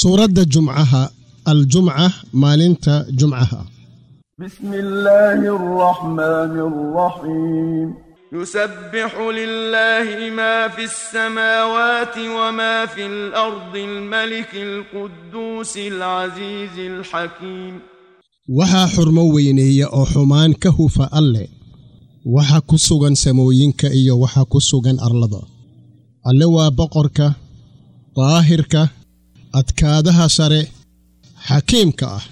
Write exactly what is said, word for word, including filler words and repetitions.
Suuradda Jumcaha, Aljumca, maalinta Jumcaha. بسم الله الرحمن الرحيم. يسبح لله ما في السماوات وما في الأرض الملك القدوس العزيز الحكيم. Waxaa xurmo weyneeya oo xumaan ka hufa Alle waxa ku sugan samooyinka iyo waxa ku sugan arlada. Alle waa boqorka daahirka, adkaadaha sare, xakiimka ah.